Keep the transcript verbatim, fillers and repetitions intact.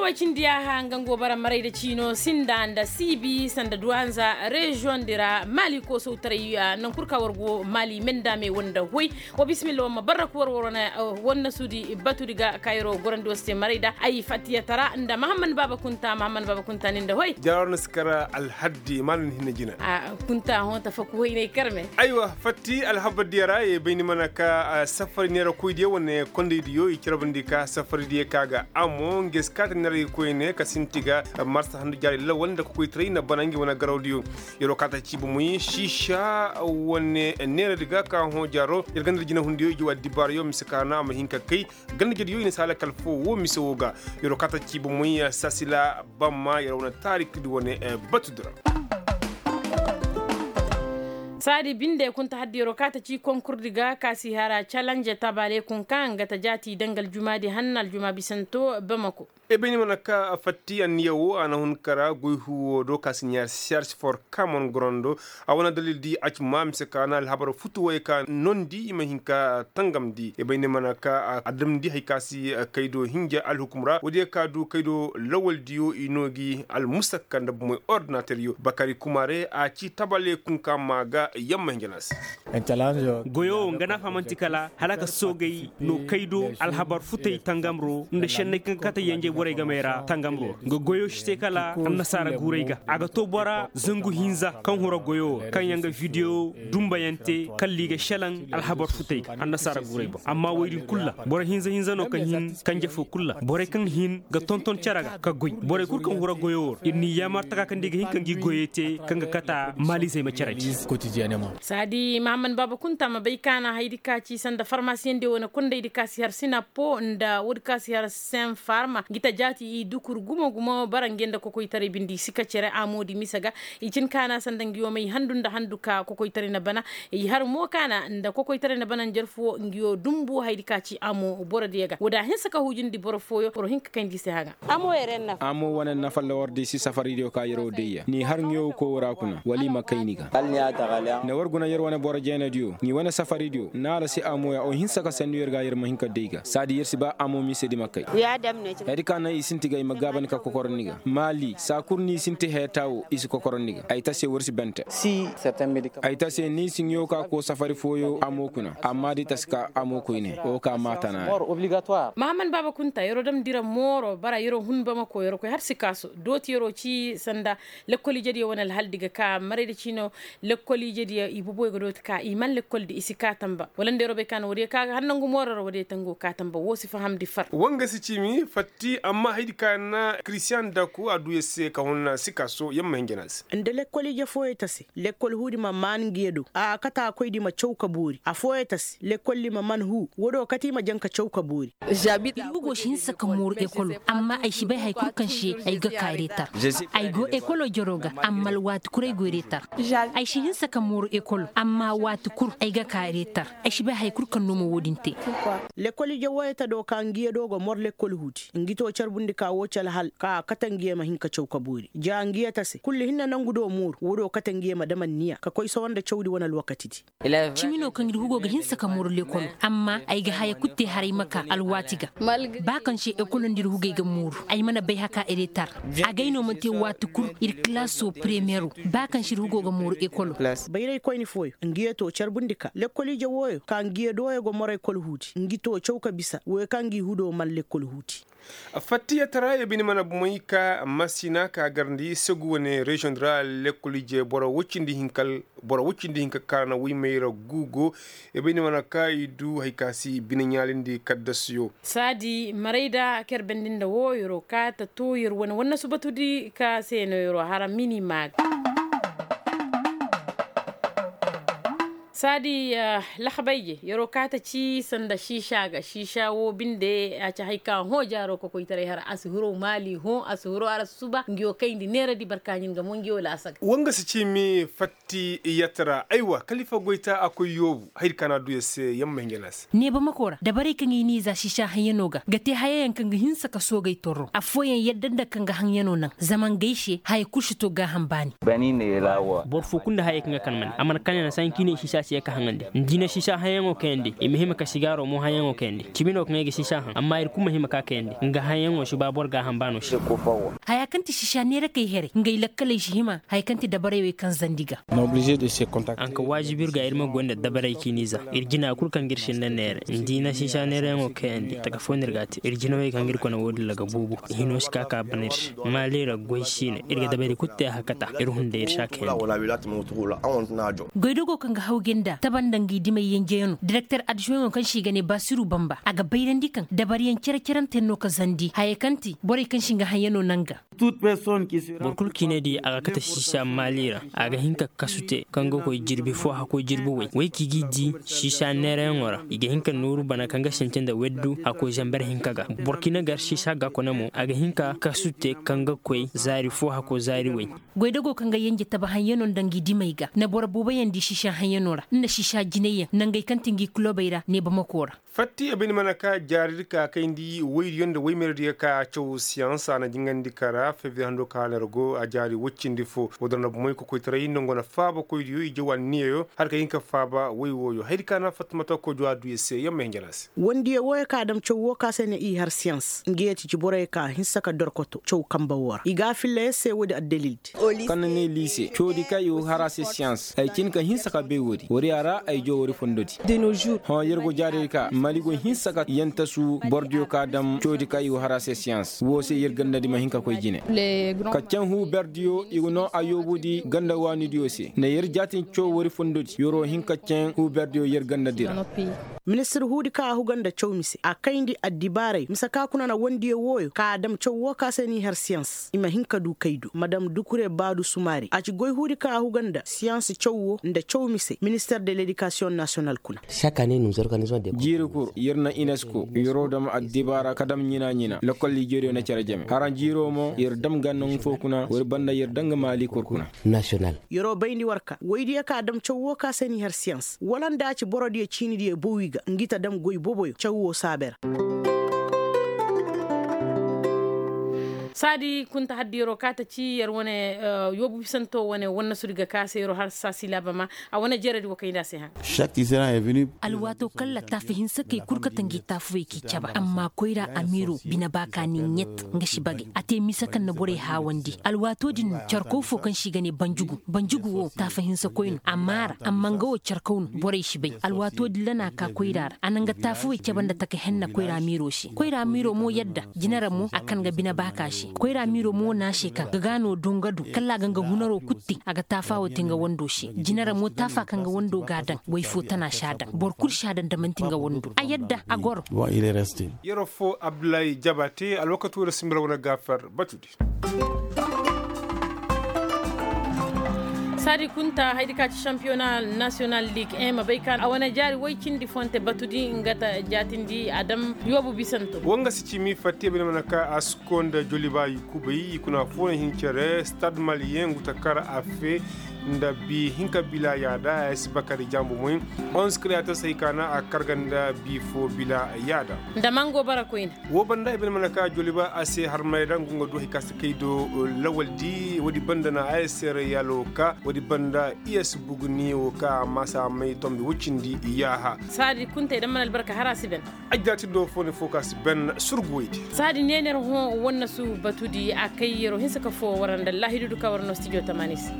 Koy cindi yaaha nga ngo bara maray da ciino sinda nda siibi sanda duwanza reziyoŋ di ra maali koosowtaray. Naŋ kul ka war go maali mendame wanda hoy. Wa bisimilla war ma barra ka war war wane wannasuudi batudi ga ka yaro gorandi war se maray da ay fattiyatara nda mahamman baaba kunta mahamman baaba kunta ni nda hoy. Jara war na si kar alhaddi ma na ni hinna jina. Kunta hõ tafaku hoynay karme. Aywa fatti alhabar diya ra ye bay ni mana ka safari neera koy diya wane konday diyo i carabandi ka safari diya ka ga amo nga si kaati neera koyne ka sinti ga marsa handu jaari lawal nda ka koytaray na bana ngi wane garaw diyo. Yaro kaata ci bomoy siisa wane neera di ga ka hõ jaaro ir ganda da jinahundiyo i jawa dibaarayo mise ka na a ma hin ka kay ganda jediyo i na si halakal fo wo mise wo ga. Yaro kaata ci bomoy sasila bamma yaro wane taarik di wane batu di ra. Saadi binde kunta haddi yaro kaata ci konkur di ga ka si hara calanje tabale kun ka nga ta jaati danga aljuma di hanna aljuma bisanto bamako. Ebeni mana ka fatti anniya wo a na hun kara goy huwo do ka si ɲaari serge for kamon gorondo. A wane dalil di a ci ma mise ka na alhabar futu way ka nondi i ma hin ka tangamndi ebeni mana ka a damndi hay ka si kaydo hinja alhukum ra woodiyo ka du kaydo lawal diyo i no gi almusakka nda bumoy ordinater yo bakari kumare a ci tabale kunka ma ga yamma hinja na se. Goyo nga na fahamanti kala hala ka soogay no kaydo alhabar futay tangamro nda šenney kaŋ ga kate yenjey borey gamey ra tangamro nga goyo si te kala annasaara guuray ga a ga to bora zangu hinza kaŋ hura goyo kaŋ yaŋ ga video dumbayante kalli ga šelaŋ alhabar futay ga annasaara guuray boŋ amma woy din kul ra boro hinza hinza no kaŋ hin kanje fo kul ra borey kaŋ hin ga tonton cere ga ka goy borey kul kaŋ hura goyo wo ra ir n'i yaamar taka kaŋ da i ga hin ka ngi goyey te kaŋ ga kata maalizey ma cere di. Saadi mahamman baaba kunta ma bay kaana haydi ka ci sanda farmasiyeŋ diyo wane kondaydi ka si har sinapo nda woodi ka si har senfarma ngi ta jaati i dukur gumo gumo bara nge nda kokoytaray bindi i si ka cere amoodi mise ga. I cin kaana sanda ngi wo may handu nda handu ka kokoytaray na bana i har mo kaana nda kokoytaray na bana njarfu wo ngi wo dumbu haydi ka ci amo boro diyo ga woodi a hinsa ka hujundi boro fooyo boro hin ka kayndi i se haŋa. Amo wane nafa lawar di si safari diyo ka yeroo day ya ni har ŋeewo koyoo ra kuna wala i ma kay ni ga. Ne war guna yer wane boro jeena diyo ŋi wane safari diyo naara si amo ya o hinsa ka sannu yer ga yer ma hin ka day ga saadi yer si ba amo mise di ma kay. Hayadi ka naŋ i sinti ga i ma gaabandi ka kokorandi ga maali saa kul ni sinti heeta wo i si kokorandi ga ay ta se war si bante. Ay ta se ni si ŋeewo ka koo safari fooyo amo kuna amma da i ta si ka amo koyne wo ka maata naani. Mahaman baaba kunta yeroo damndi ra mooro bara yeroo hun bamako yeroo koy har sikaaso dooti yeroo ci sanda lekkol ijediyo wane alhaldi ga ka maray da ciino. Lekkol ijediyo i boboyo ga dooti ka i man lekkoldi i si kaa tamba wala nda yeroo bay ka na woodiyo ka ga har nangu mooro ra woodiyo tango kaa tamba woo si fahamndi far. Woo nga si ciimi fatti amma haydi ka na kiristiyan daku a duu yer se ka hun sikaaso yer ma hin jana se. Nda lekkol ije fooyo ta se lekkol huudi ma maan ngiyo do a kate a koydi ma caw ka boori affooyo ta se lekkoldi ma man huu woodoo kate i ma jaŋ ka caw ka boori. Ir hugo si hinsa ka mooru ekolo amma ay si bay haya kul kaŋ se ay ga ka reetar. Ay go ekolo jaroo ga amma alwaati kul ay go reetar. Ay si hinsa ka mooru ekolo amma waati kul ay ga ka reetar. Ay si bay haya kul kaŋ no ma woo din te. Lekkol ije wooyo ta do ka ngiyo do ga mor lekkol huudi ngi too carbundi ka woo ci alhal ka a kate ngiyo ma hin ka caw ka boori ja ngiyo ta se kullu hinne nangu do mooru woodoo kate ngiyo ma dam anniya ka koy sohõ nda cawdi wane alwakatidi. Cimi no kaŋ ir hugo ga hinsa ka mooru lekkolo amma ay ga haya kul te haray ma ka alwaati ga. Ba kaŋ se ekolo nda ir hugey ga mooru ay mana bay haka eretar. Agay no mana te waati kul ir kilaasoo premiyero ba kaŋ se ir hugo ga mooru ekolo. Bayraykoyni fooyo ngiyo too carbundi ka lekkol ije wooyo ka ngiyo dooyo ga mor ekol huudi ngi too caw ka bisa wooyo kaŋ ngi hudoo man lekkol huudi. Fattiya tara ya bini mana bumey ka masina ka garandi segu wane reziyoŋ di ra lekkol ije boro woy cindi hinka kaara na woy may ra guugo. Ya bini mana ka i du hari ka si bine ɲaalindi kaddasuyo. Saadi maray da ker bandi nda woo yeroo ka ta too yer wane wannasu batudi ka se no yeroo hara mini maaga. Saadi laxabay je yeroo kaata ci sanda siisa ga siisa woo binde a ci hay ka hõ jaaroo kokoytaray har a si hirow maali hõ a si hirow har a si suba ngi woo kayndi neeradi barka ɲin ga mo ngi woo laasa ga. Woo nga si ciimi fatti yatta ra aywa kalifa goyta a koy yoobu haydi ka na a duu yer se yamma hinja na a se. Neeba makoo ra dabarey kaŋ i n'i za siisa haŋyanoo ga ga te hayayaŋ kaŋ ga hinsa ka soogey torro affooyaŋ yadda nda kaŋ ga haŋyanoo naŋ zama ngey se haya kul si to gaaham baani. Boro foo kulu nda hayey kaŋ ga kan mane a mana kane na sanki ne siisa. Ye ka haŋandi nda i na siisa hayaŋo kayandi i ma hima ka sigaaro mo hayaŋo kayandi cibi no kaŋ ay ga siisa haŋ amma ir kulu ma hima ka kayandi nga hayaŋo si ba boro ga a haŋ ba no se. Haya kaŋ ti siisa neerakey heray ngey lakkaley si hima haya kaŋ ti dabarey wey kaŋ zandi ga. A na ka waajibi ir ga ir ma goy nda dabarey ciini za ir jina kulu kaŋ ga ir sinda neere nda i na siisa neerayaŋo kayandi taka fo no ir ga a te ir jinawey kaŋ ga ir kone wo- din ra ga buubu. Hino si ka ka bana ir se maali ra goy si ne ir ga dabarey kulu te a hakata ir hunday ir si a kayandi. Goydogo kaŋ ga hawgay nda taba nda ngi dimay yenjeyano direkter adjuweŋo kaŋ se i ga ne basiru bamba a ga bayrandi kaŋ dabariyaŋ cere-ceranteyaŋ no ka zandi hayey kaŋ ti borey kaŋ se nga haŋyano naŋ ga. Boro kulu kaŋ i ne di a ga kate siisa maali ra a ga hin ka kasu te kaŋ ga koy jirbi fo hakkoy jirbi way way kaŋ i g'i di siisa neerayaŋo ra i ga hin ka nooru bana kaŋ ga sinti nda weddu hakkoy zamber hinka ga. Boro kaŋ i ne gar siisa ga kone mo a ga hin ka kasu te kaŋ ga koy zaari fo hakkoy zaari way. Goydago kaŋ ga yenje tabahaŋyano nda ngi dimey ga na boro booboyaŋ di siisa haŋyano ra nda siisa jinayyaŋ nangey kaŋ ti ngi kulobey ra ne bamako ra. Fatti a bine mana ka jaaridi ka kayndi woydiyo nda woymerediyo ka caw siyans a na jingandi kara febriye hando ka halar go a jaari woy cindi fo. Woodin ra bomoy kokoytaray nda ngo na faaba koydiyo i jaw anniyayo hala ka hin ka faaba woy wooyo haydi ka na fattumata kojo a du ya se yamma hinjana se. Wandiyo wooyo ka dam caw woo ka se ne i har siyans nga ya ti ci boroyo ka hinsa ka dorkoto caw kambe woo ra i ga a filla ya se woodi addalil. Kaŋ na ne liise coodi kaŋ i wo har a se siyans ay cin ka hinsa ka bay woodi wariya ra ay joo wari fondo di. Hõ yer go jaarey ka mali go hinsa ka yantasu borodiyo ka dam coodi kaŋ i wo har a se siyans woo se yer ganda di ma hin ka koy jine. Ka caŋ huu berdiyo i go noo a yoobu di ganda waanidiyo se na yer jaatin caw wari fondo di yer wo hin ka caŋ huu berdiyo yer ganda di ra. Ministir huudi kaŋ a huga nda caw mise a kayndi addibaaray mise ka kuna na wandiyo wooyo ka a dam caw woo ka se n'i har siyans i ma hin ka du kay do madam dukure baadu sumaari a ci goy huudi kaŋ a huga nda siyans caw woo nda caw mise minister de ledikasiyoŋ nasiyonal kuna. Jiiri kul yer na inesko yeroo dam addibaara ka dam ɲina-ɲina lokol ijeriyo na cere jame haraŋ jiiroo mo yer dam ga naŋ foo kuna war banda yer daŋ ga maali kor kuna. Yeroo bayndi war ka woydiyo ka dam caw woo ka se n'i har siyans wala nda a ci borodiyo ciinidiyo bowi ga ngi ta dam goy boboyo caw woo saabe ra. Saadi kunta haddi yeroo ka ta ci yer wane yoobu bisanto wane wannasudi ga ka se yeroo har saasi laaba ma a wane jeredi wo kayndi a se haŋ. Alwaatoo kaŋ ra taafa hinsa kay kul ka ta ngi taafawey k'i caba amma koyra amiiroo bine baaka ni ɲet nga si bagay a te mise kaŋ na borey haawandi alwaatoo din no carkaw foo kaŋ se i ga ne banjugu banjugu woo taafa hinsa koy no a maara amma nga woo carkaw no borey si bay alwaatoo din ra no a ka koyra ra a na nga taafawey caba nda taka henna koyra amiiroo se koyra amiiroo mo yadda jine ra mo a kan ga bine baaka se koyra amiiroo mo na a se kaŋ ga ga no do nga du kala a ga nga hunaroo kul te a ga taafa woo te nga wandoo se jine ra mo taafa kaŋ ga wandoo ga a daŋ way foo tana si a daŋ boro kul si a daŋ da man'ti nga wandoo a yadda a goro. Yeroo foo abdullahi jabate alwakatoo ra sinbila wane gaafar batudi. Saadi kunta haydi ka ci sampiyona nasiyonal lig en ma bay ka a wane jaari woy cindi fonte batudi nga ta jaatindi a dam yoobu bisanto. Woo nga si ci m'i fatte bine mana ka a si koo nda joliba i kubay i kuna foo na hin cere stad maliyen ngu ta kar a fee nda bii hinka bila yaada a si bakari jambu moy. Onze kreyator se hay ka na a kar ga nda bii foo bila yaada. Nda mango bara koyne. Woo banda i bine mana ka joliba a se harmay ra ngu nga du hay ka si kay do lawaldi woodi banda na a se rayalo ka woodi banda i ya si bugu ni woo ka a maasa may tombi woy cindi yaaha. Saadi kuntey da mana albarka har a si ben. Ajjaatindo foo ne foo ka si ben surgu woydi. Saadi neener hõ wannasu batudi a kay yeroo hinsa ka foo war nda laahidudu ka war no stijo tamaani se.